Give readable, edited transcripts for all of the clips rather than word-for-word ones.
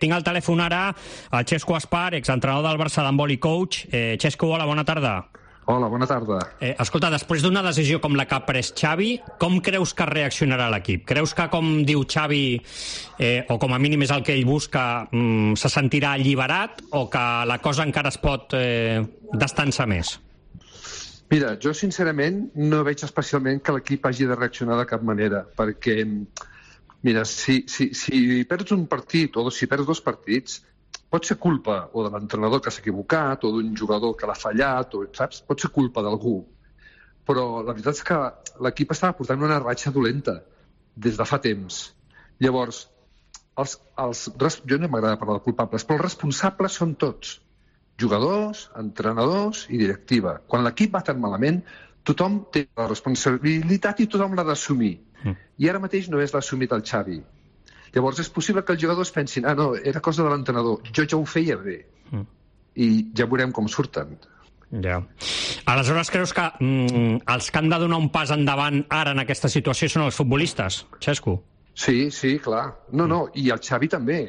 Tinc al telèfon ara el Xesco Aspar, exentrenador del Barça d'handbol i coach. Xesco, hola, bona tarda. Hola, bona tarda. Escolta, després d'una decisió com la que ha pres Xavi, com creus que reaccionarà l'equip? Creus que, com diu Xavi, o com a mínim és el que ell busca, se sentirà alliberat o que la cosa encara es pot destensar més? Mira, jo sincerament no veig especialment que l'equip hagi de reaccionar de cap manera, perquè, mira, si perds un partit o si perds dos partits, pot ser culpa o de l'entrenador que s'ha equivocat o d'un jugador que l'ha fallat, o, saps? Pot ser culpa d'algú. Però la veritat és que l'equip estava portant una ratxa dolenta des de fa temps. Llavors, jo no m'agrada parlar de culpables, però els responsables són tots. Jugadors, entrenadors i directiva. Quan l'equip va tan malament, tothom té la responsabilitat i tothom l'ha d'assumir. I ara mateix no és l'ha assumit el Xavi. Llavors és possible que els jugadors pensin no, era cosa de l'entrenador, jo ja ho feia bé. I ja veurem com surten. Ja. Aleshores creus que els que han de donar un pas endavant ara en aquesta situació són els futbolistes, Xesco? Sí, clar. No, i el Xavi també.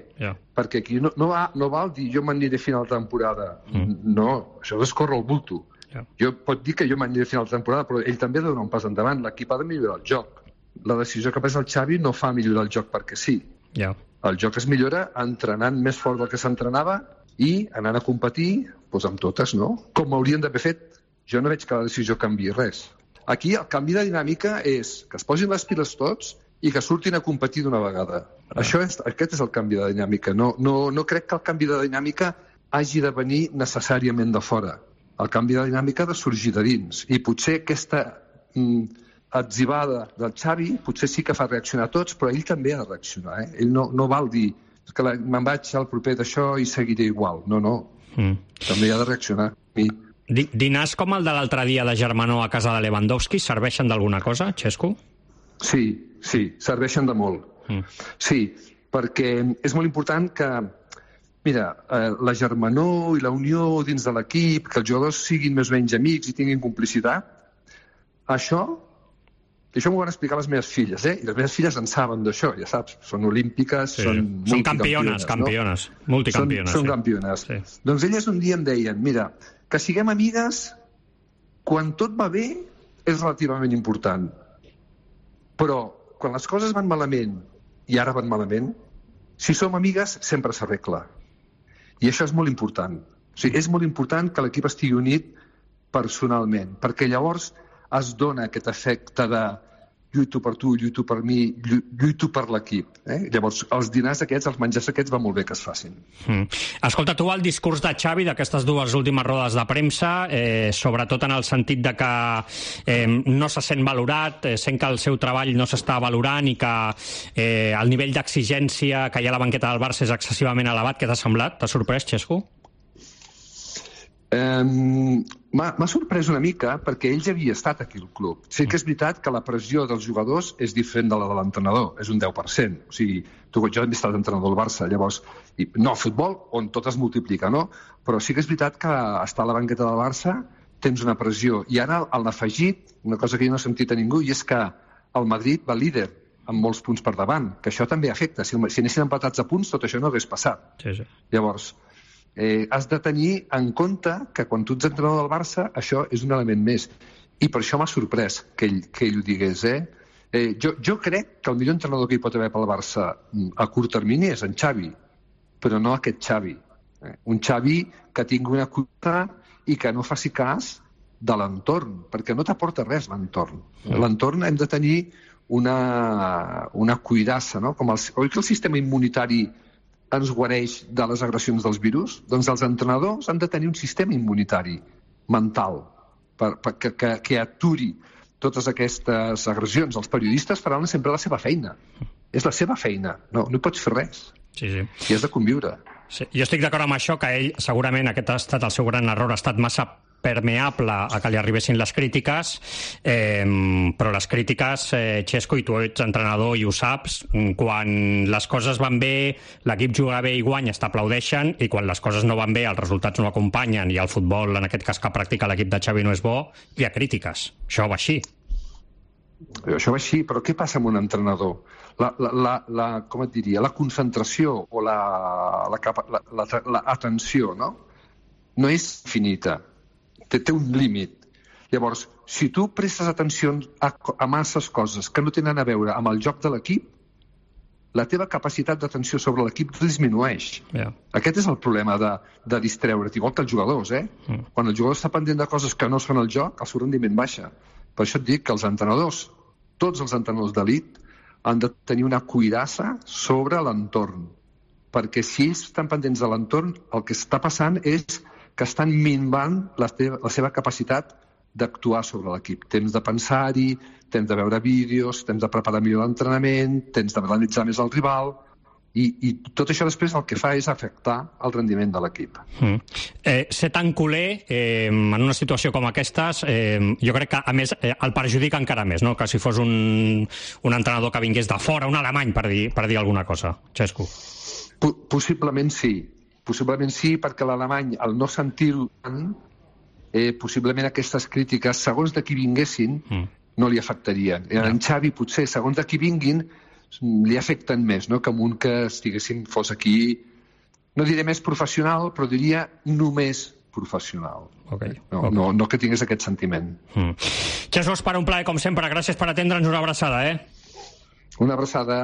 Perquè aquí no val dir jo m'aniré a final de temporada. No, això és córrer el bulto. Jo pot dir que jo m'aniré a final de temporada, però ell també ha de donar un pas endavant. L'equip ha de millorar el joc. La decisió que pres el Xavi no fa millorar el joc perquè sí. El joc es millora entrenant més fort del que s'entrenava i anant a competir amb totes, no? Com haurien d'haver fet. Jo no veig que la decisió canviï res. Aquí el canvi de dinàmica és que es posin les piles tots i que surtin a competir d'una vegada. Aquest és el canvi de dinàmica. No crec que el canvi de dinàmica hagi de venir necessàriament de fora. El canvi de dinàmica ha de sorgir de dins. I potser aquesta atzivada del Xavi potser sí que fa reaccionar a tots, però ell també ha de reaccionar. Ell no val dir que me'n vaig al proper d'això i seguiré igual. No. També ha de reaccionar. Dinars com el de l'altre dia de Germanó a casa de Lewandowski serveixen d'alguna cosa, Xesco? Sí, serveixen de molt. Sí, perquè és molt important que, mira, la germanor i la unió dins de l'equip, que els jugadors siguin més o menys amics i tinguin complicitat, això m'ho van explicar les meves filles, i les meves filles en saben d'això, ja saps, són olímpiques, són multicampiones. Campiones, multicampiones. Són campiones. Doncs elles un dia em deien, mira, que siguem amigues quan tot va bé és relativament important, però quan les coses van malament i ara van malament, si som amigues sempre s'arregla. I això és molt important. O sigui, és molt important que l'equip estigui unit personalment, perquè llavors es dona aquest efecte de lluito per tu, lluito per mi, lluito per l'equip. Llavors, els dinars aquests, els menjars aquests, va molt bé que es facin. Escolta, tu el discurs de Xavi d'aquestes dues últimes rodes de premsa, sobretot en el sentit de que no se sent valorat, sent que el seu treball no s'està valorant i que el nivell d'exigència que hi ha a la banqueta del Barça és excessivament elevat, què t'ha semblat? T'ha sorprès, Xesco? M'ha sorprès una mica perquè ell ja havia estat aquí al club. Sí que és veritat que la pressió dels jugadors és diferent de la de l'entrenador, és un 10%. O sigui, jo també he estat entrenador del Barça, llavors, no al futbol, on tot es multiplica, no? Però sí que és veritat que estar a la banqueta del Barça tens una pressió. I ara han afegit una cosa que jo no he sentit a ningú, i és que el Madrid va líder amb molts punts per davant, que això també afecta. Si anessin empatats a punts, tot això no hagués passat. Llavors, has de tenir en compte que quan tu ets entrenador del Barça això és un element més, i per això m'ha sorprès que ell ho digués. Jo crec que el millor entrenador que hi pot haver pel Barça a curt termini és en Xavi, però no aquest Xavi, un Xavi que tingui una cuita i que no faci cas de l'entorn, perquè no t'aporta res l'entorn. L'entorn hem de tenir una cuirassa, no? Oi que el sistema immunitari ens guareix de les agressions dels virus? Doncs els entrenadors han de tenir un sistema immunitari mental que aturi totes aquestes agressions. Els periodistes faran sempre la seva feina. És la seva feina. No hi pots fer res. I has de conviure. Jo estic d'acord amb això, que ell segurament aquest ha estat el seu gran error, ha estat massa permeable a que li arribessin les crítiques, però les crítiques, Xesco, i tu ets entrenador i ho saps, quan les coses van bé, l'equip juga bé i guanya, t'aplaudeixen, i quan les coses no van bé, els resultats no acompanyen, i el futbol, en aquest cas que practica l'equip de Xavi, no és bo, hi ha crítiques. Això va així. Això va així, però què passa amb un entrenador? Com et diria, la concentració o l'atenció, no? No és infinita, té un límit. Llavors, si tu prestes atenció a masses coses que no tenen a veure amb el joc de l'equip, la teva capacitat d'atenció sobre l'equip disminueix. Yeah. Aquest és el problema de distreure't, igual que els jugadors, Quan el jugador està pendent de coses que no són el joc, el seu rendiment baixa. Per això et dic que els entrenadors, tots els entrenadors d'elit, han de tenir una cuirassa sobre l'entorn. Perquè si ells estan pendents de l'entorn, el que està passant és que estan minvant la seva capacitat d'actuar sobre l'equip. Temps de pensar-hi, temps de veure vídeos, temps de preparar millor l'entrenament, temps d'analitzar més el rival, i tot això després el que fa és afectar el rendiment de l'equip. Ser tan culer en una situació com aquestes, jo crec que a més el perjudica encara més, no? Que si fos un entrenador que vingués de fora, un alemany, per dir alguna cosa. Xesco. Possiblement sí, perquè l'alemany, al no sentir-ho tant, possiblement aquestes crítiques, segons de qui vinguessin, no li afectarien. En Xavi, potser, segons de qui vinguin, li afecten més, no? Que amb un que fos aquí, no diré més professional, però diria només professional. Okay. No que tingués aquest sentiment. Xesco Espara, un plaer, com sempre. Gràcies per atendre'ns. Una abraçada, Una abraçada.